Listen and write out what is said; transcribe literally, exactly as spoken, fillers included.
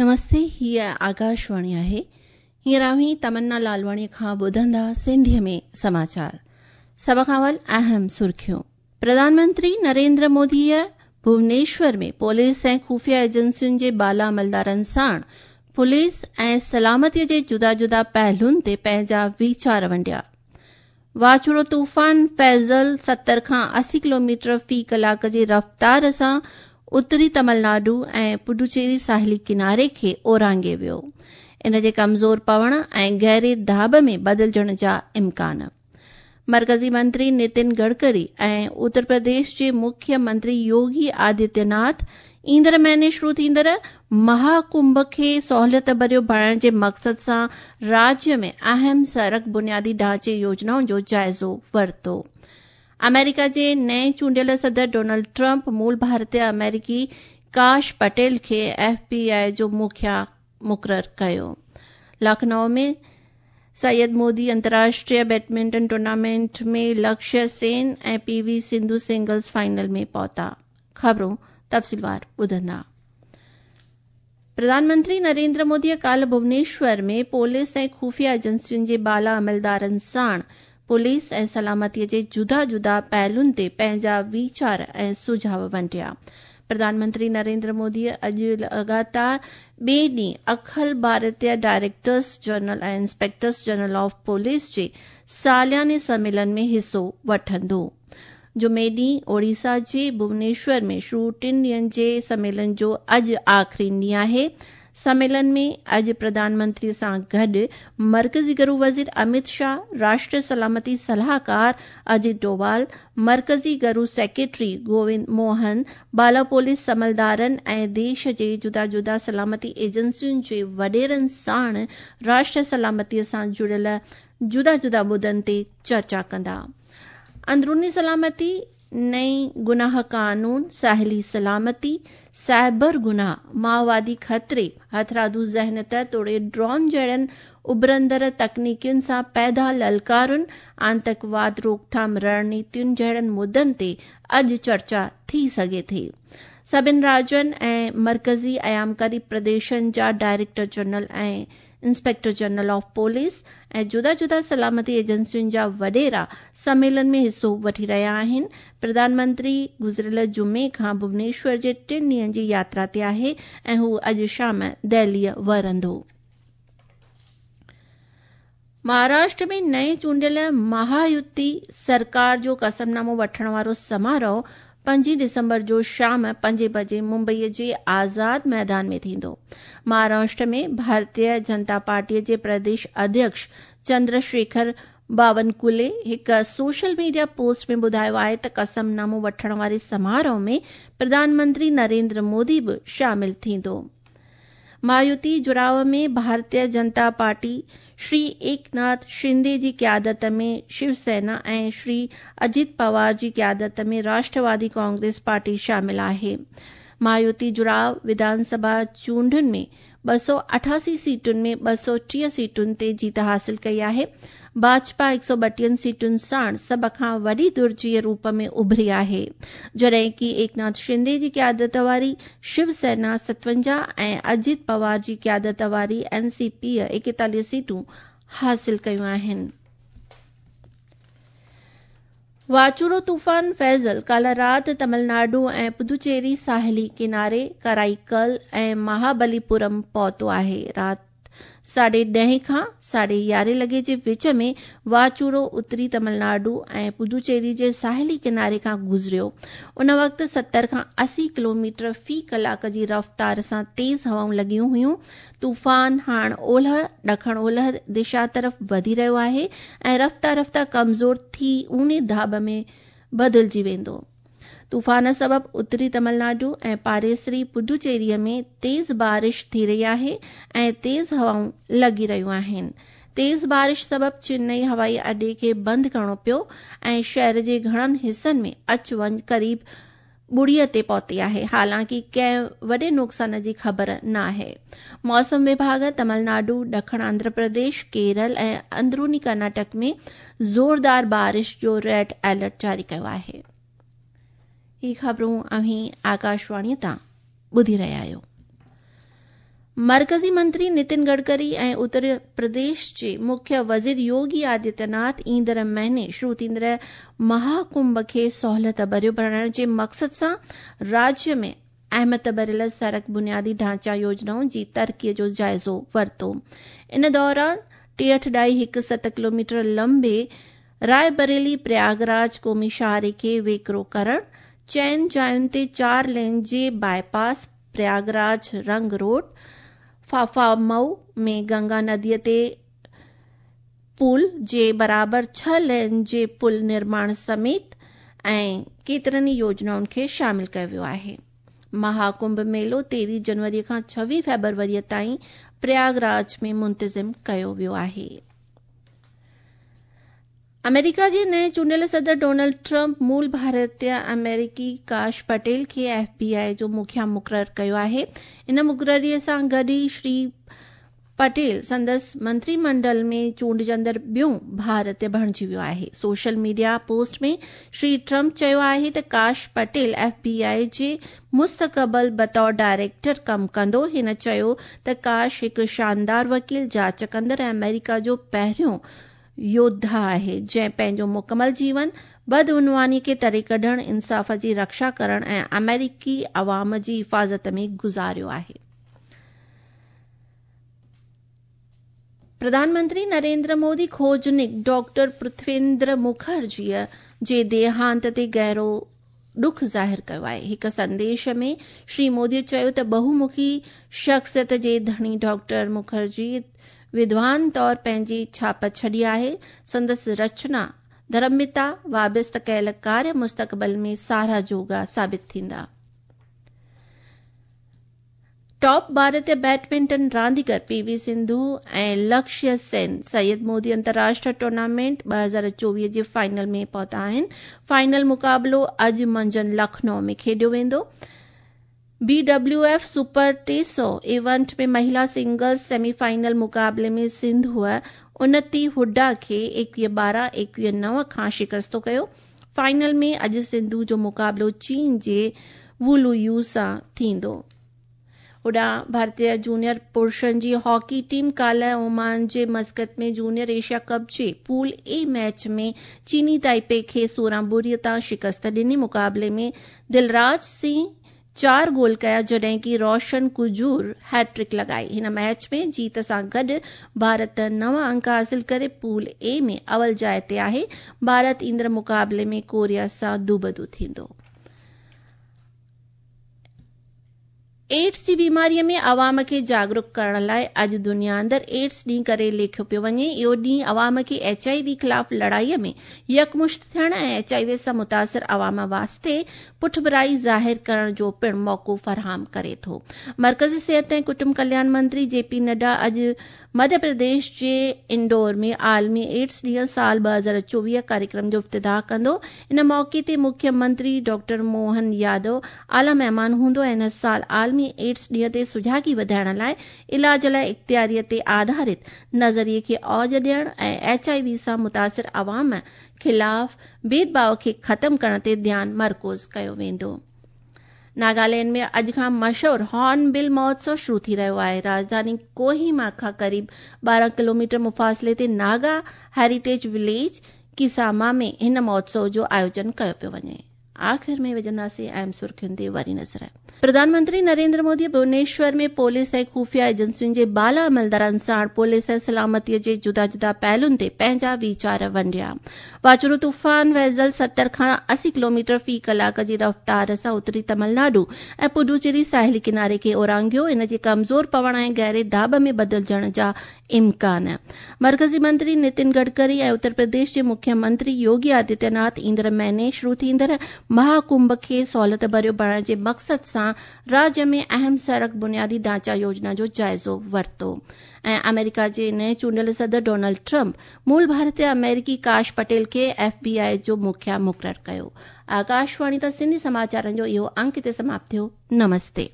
नमस्ते, हीअ आकाशवाणी आहे। हींअर अव्हीं तमन्ना लालवाणी खां ॿुधंदा सिंधीअ में समाचार। सभ खां अवल अहम सुर्खियूं। प्रधानमंत्री नरेंद्र मोदीअ भुवनेश्वर में पुलिस ऐं ख़ुफ़िया एजेंसियुनि जे बाला अमलदारनि साण पुलिस ऐं सलामतीअ जे जुदा जुदा पहलुनि ते पंहिंजा वीचार वंडिया। वाचुड़ो तूफ़ान फैज़ल सत्तर खां अस्सी किलोमीटर फ़ी कलाक जे रफ़्तार सां उत्तरी तमिलनाडु ऐं पुडुचेरी साहिली किनारे खे ओरांघे वियो। इन जे कमज़ोर पवण ऐं गहरे दाब में बदिलजण जा इम्कान। मरकज़ी मंत्री नितिन गडकरी ऐं उत्तर प्रदेश जे मुख्य मंत्री योगी आदित्यनाथ ईंदड़ महीने शुरू थींदड़ महाकुंभ खे सहूलियत भरियो बणाइण जे मक़सद सां राज्य में अहम सड़क बुनियादी ढांचे योजनाउनि जो जाइज़ो वरितो। अमेरिका जे नए चूंडियल सदर डोनाल्ड ट्रंप मूल भारतीय अमेरिकी काश पटेल खे एफ बी I जो मुखिया मुक़ररु कयो। लखनऊ में सैयद मोदी अंतर्राष्ट्रीय बैडमिंटन टूर्नामेंट में लक्ष्य सेन ऐं P V Sindhu singles final में पहुता। ख़बरूं तफ़सीलवार ॿुधंदा। प्रधानमंत्री नरेंद्र मोदीअ काल्ह भुवनेश्वर में पुलिस ऐं ख़ुफ़िया एजेंसियुनि जे बाला अमलदारनि साण पुलिस ऐं सलामतीअ जे जुदा जुदा पहलुनि ते पंहिंजा वीचार ऐं सुझाव वंडिया। प्रधानमंत्री नरेंद्र मोदीअ अॼु लगातार ॿिए ॾींहुं अखिल भारतीय डायरेक्टर्स जनरल ऐं इंस्पेक्टर्स जनरल ऑफ पुलिस जे सालियाने सम्मेलन में हिसो वठंदो। जुमे ॾींहुं ओडिशा जे भुवनेश्वर में शुरू टिनि ॾींहंनि जे सम्मेलन जो अॼु आख़िरी ॾींहुं आहे। सम्मेलन में अॼु प्रधानमंत्री सां गॾु मरकज़ी गृह वज़ीर अमित शाह, राष्ट्रीय सलामती सलाहकार अजित डोवाल, मरकज़ी गृह सेक्रेटरी गोविंद मोहन, बाला पुलिस अमलदारनि ऐं देश जे जुदा जुदा सलामती एजेंसियुनि जे वॾेरनि साण राष्ट्रीय सलामतीअ सां जुड़ियल जुदा जुदा मुद्दनि ते चर्चा कंदा। अंदरूनी सलामती, नई गुनाह कानून, साहिली सलामती, साइबर गुनाह, माओवादी ख़तरे, हथरादू ज़हनत तोड़े ड्रोन जहिड़नि उभरंदड़ तकनीकियुनि सां पैदा ललकारुनि, आंतकवाद रोकथाम रणनीतियुनि जहिड़नि मुद्दनि ते अॼु चर्चा थी सघे थी। सभिनि राज्यनि ऐं मरकज़ी अयामकारी प्रदेशनि जा डायरेक्टर जनरल ऐं इंस्पेक्टर जनरल ऑफ पुलिस ऐं जुदा जुदा सलामती एजेंसियुनि जा वॾेरा सम्मेलन में हिसो वठी रहिया आहिनि। प्रधानमंत्री गुज़िरियल जुमे खां भुवनेश्वर जे टिनि ॾींहंनि जी यात्रा ते आहे ऐं हू अॼु शाम दिल्लीअ वरंदो। महाराष्ट्र में नए चूंडियल महायुति सरकार जो कसमनामो वठण वारो समारोह पंजी दिसंबर जो शाम पंजे बजे मुंबईअ जे आज़ाद मैदान में थींदो। महाराष्ट्र में भारतीय जनता पार्टीअ जे प्रदेश अध्यक्ष चंद्रशेखर बावनकुले हिकु सोशल मीडिया पोस्ट में ॿुधायो आहे त कसमनामो वठण वारे समारोह में प्रधानमंत्री नरेंद्र मोदी बि शामिल थींदो। महायुति जुड़ाव में भारतीय जनता पार्टी श्री एकनाथ शिंदे जी क़यादत में शिवसेना ऐं श्री अजित पवार जी क़यादत में राष्ट्रवादी कांग्रेस पार्टी शामिल आहे। महायुति जुड़ाव विधानसभा चूंडुनि में ॿ सौ अठासी सीटुनि में ॿ सौ टीह सीटुनि ते जीत हासिल कई आहे। भाजपा हिकु सौ ॿटीहनि सीटुनि साण सभ खां वॾी धुर जे रूप में उभरी आहे, जॾहिं की एकनाथ शिंदे जी क़यादत वारी शिवसेना सतवंजाह ऐं अजित पवार जी क़यादत वारी एन सी पी एकेतालीह सीटूं हासिल कयूं आहिनि। वाचुड़ो तूफ़ान फैज़ल काल्ह राति तमिलनाडु ऐं पुदुचेरी साहिली किनारे कराईकल ऐं महाबलीपुरम पहुतो आहे। राति साढे ॾहें खां साढे यारहें लॻे जे विच में वाचुड़ो उत्तरी तमिलनाडु ऐं पुदुचेरी जे साहिली किनारे खां गुज़रियो। उन वक़्तु सत्तर खां अस्सी किलोमीटर फ़ी कलाक जी रफ़्तार सां तेज़ हवाऊं लॻियूं हुयूं। तूफ़ान हाणे ओलह ॾखण ओलह दिशा तरफ़ वधी रहियो आहे ऐं रफ़्ता रफ़्ता कमज़ोर थी ऊने दाब में बदिलजी वेंदो। तूफ़ान सबबि उत्तरी तमिलनाडु ऐं पाड़ेसरी पुडुचेरीअ में तेज़ बारिश थी रही आहे ऐं तेज़ हवाऊं लॻी रहियूं आहिनि। तेज़ बारिश सबबि चेन्नई हवाई अॾे खे बंदि करिणो पियो ऐं शहर जे घणनि हिसनि में अच वञ क़रीब ॿुड़ीअ ते पहुती आहे। हालांकि कंहिं वॾे नुक़सान जी ख़बर न आहे। मौसम विभाग तमिलनाडु, ॾखण आंध्र प्रदेश, केरल ऐं अंदरूनी कर्नाटक में ज़ोरदार बारिश जो रेड अलर्ट जारी कयो आहे। ही ख़बरूं अव्हीं आकाशवाणीअ तां ॿुधी रहिया आहियो। मर्कज़ी मंत्री नितिन गडकरी ऐं उत्तर प्रदेश जे मुख्य वज़ीर योगी आदित्यनाथ ईंदड़ महीने शुरू थींदड़ महाकुंभ खे सहूलियत भरियो बणाइण जे मक़सद सां राज्य में अहमियत भरियल सड़क बुनियादी ढांचा योजनाउनि जी तरक़ीअ जो जाइज़ो वरितो। इन दौरान टेहठि ॾाई हिकु सत किलोमीटर लंबे रायबरेली प्रयागराज क़ौमी शाहरे खे वेकिरो करण, चइनि जायुनि ते चार लेन जे बाईपास, प्रयागराज रंग रोड, फाफामऊ में गंगा नदीअ ते पुल जे बराबरि छह लेन जे पुल निर्माण समेत ऐं केतिरनि ई योजनाउनि खे शामिल कयो वियो आहे। महाकुंभ मेलो तेरहीं जनवरी खां छवीह फेब्रुअरीअ ताईं प्रयागराज में मुंतज़िम कयो वियो आहे। अमेरिका जे नए चूंडियल सदर डोनाल्ड ट्रंप मूल भारतीय अमेरिकी काश पटेल खे एफ बी I जो मुखिया मुक़ररु कयो आहे। इन मुक़ररीअ सां गॾु ई श्री पटेल संदसि मंत्रीमंडल में चूंडिजंदड़ ॿियो भारतीय बणिजी वियो आहे। Social media post में श्री ट्रंप चयो आहे त काश पटेल एफ बी I जे मुस्तक़बिल बतौर डायरेक्टर कमु कंदो। हिन चयो त काश हिकु शानदार वकील, जांच कंदड़ ऐं अमेरिका जो पहिरियों योद्धा आहे, जंहिं पंहिंजो मुकमल जीवन बदउनवानी खे तरे कढण, इंसाफ़ जी रक्षा करण ऐं अमेरिकी अवाम जी हिफ़ाज़त में गुज़ारियो आहे। प्रधानमंत्री नरेंद्र मोदी खोजनिक डॉक्टर पृथ्वेंद्र मुखर्जीअ जे देहांत ते गहिरो ॾुख ज़ाहिर कयो आहे। हिकु संदेश में श्री मोदी चयो त बहुमुखी शख्सियत जे धणी डॉक्टर मुखर्जी विद्वान तौर पंहिंजी छाप छॾी आहे। संदसि रचना धर्मिता वाबस्त कयल कार्य मुस्तक़बिल में साराह जोगा साबित थींदा। टॉप भारतीय बैडमिंटन रांदीगर पीवी सिंधु ऐं लक्ष्य सेन सैयद मोदी अंतर्राष्ट्रीय टूर्नामेंट ॿ हज़ार चोवीह जे फाइनल में पहुता आहिनि। फाइनल मुक़ाबिलो अॼु मंझंदि लखनऊ में खेॾियो वेंदो। बी डब्ल्यू एफ सुपर टे सौ इवेंट में महिला सिंगल्स सेमीफाइनल मुक़ाबले में सिंधुअ उन्नति हुड्डा खे एकवीह ॿारहं एकवीह नव खां शिकस्तो कयो। फाइनल में अॼु सिंधु जो मुक़ाबिलो चीन जे वुलू you सां थींदो। होॾां भारतीय जूनियर पुरुषनि जी हॉकी टीम काल्ह ओमान जे मस्कत में junior Asia cup J pool A match में चीनी ताइपे खे सोरहं ॿुड़ीअ तां शिकस्त ॾिनी। मुक़ाबले में दिलराज सिंह चार गोल कया, जॾहिं की रोशन कुजूर हैट्रिक लॻाई। हिन मैच में जीत सां गॾु भारत नव अंक हासिल करे पूल ए में अवल जाइ ते आहे। भारत ईंदड़ मुक़ाबले में कोरिया सां दूबदू थींदो। एड्स जी बीमारीअ में अवाम खे जागरूक करण लाइ अॼु दुनिया अंदरि एड्स ॾींहुं करे लेखियो पियो वञे। इहो ॾींहुं अवाम खे एच I V ख़िलाफ़ लड़ाईअ में यकमुश्त थियण ऐं एच I V सां मुतासिर अवाम वास्ते पुठभराई ज़ाहिर करण जो पिणु मौक़ो फराहम करे थो। मर्कज़ी सिहत ऐं कुटुंब कल्याण मंत्री जे पी नड्डा अॼु मध्य प्रदेश जे इंदौर में आलमी एड्स ॾींहुं साल ॿ हज़ार चोवीह कार्यक्रम जो इफ्तिताह कंदो। इन मौक़े ते मुख्यमंत्री डॉक्टर मोहन यादव आला महिमान हूंदो ऐं हिन साल आलमी एड्स ॾींहं ते सुझागी वधाइण लाइ इलाज लाइ इख़्तियारीअ ते आधारित नज़रिए खे औज ॾियण ऐं एच I V सां मुतासिर अवाम ख़िलाफ़ भेदभाव खे ख़त्म करण ते ध्यानु मरकूज़ कयो वेंदो। नागालैंड में अॼु खां मशहूर हॉर्नबिल महोत्सव शुरू थी रहियो आहे। राजधानी कोहिमा खां क़रीब ॿारहं किलोमीटर मुफ़ासिले ते नागा हेरिटेज विलेज किसामा में हिन महोत्सव जो आयोजन कयो पियो वञे। आख़िर में विझंदासीं अहम सुर्खियुनि ते वरी नज़र। प्रधानमंत्री नरेंद्र मोदी भुवनेश्वर में पुलिस ऐं ख़ुफ़िया एजेंसियुनि जे बाला अमलदारनि सां पुलिस ऐं सलामतीअ जे जुदा जुदा पहलुनि ते पंहिंजा वीचार वंडिया। वाचुरो तूफ़ान वैज़ल सतरि खां असी किलोमीटर फ़ी कलाक जी रफ़्तार सां उत्तरी तमिलनाडु ऐं पुडुचेरी साहिली किनारे खे ओरांघियो। इन जे कमज़ोर पवण ऐं गहरे दाब में बदिलजण जा इम्कान। मर्कज़ी मंत्री नितिन गडकरी ऐं उत्तर प्रदेश जे मुख्यमंत्री योगी आदित्यनाथ ईंदड़ महीने शुरू थींदड़ महाकुंभ खे सहूलियत भरियो बणाइण जे मक़सद सां राज्य में अहम सड़क बुनियादी ढांचा योजना जो जाइज़ो वरितो। ऐं अमेरिका जे नए चूंडियल सदर डोनाल्ड ट्रंप मूल भारतीय अमेरिकी काश पटेल खे एफ बी I जो मुखिया मुक़ररु कयो। आकाशवाणी तां सिंधी समाचारनि जो इहो अंक हिते समाप्त थियो। नमस्ते।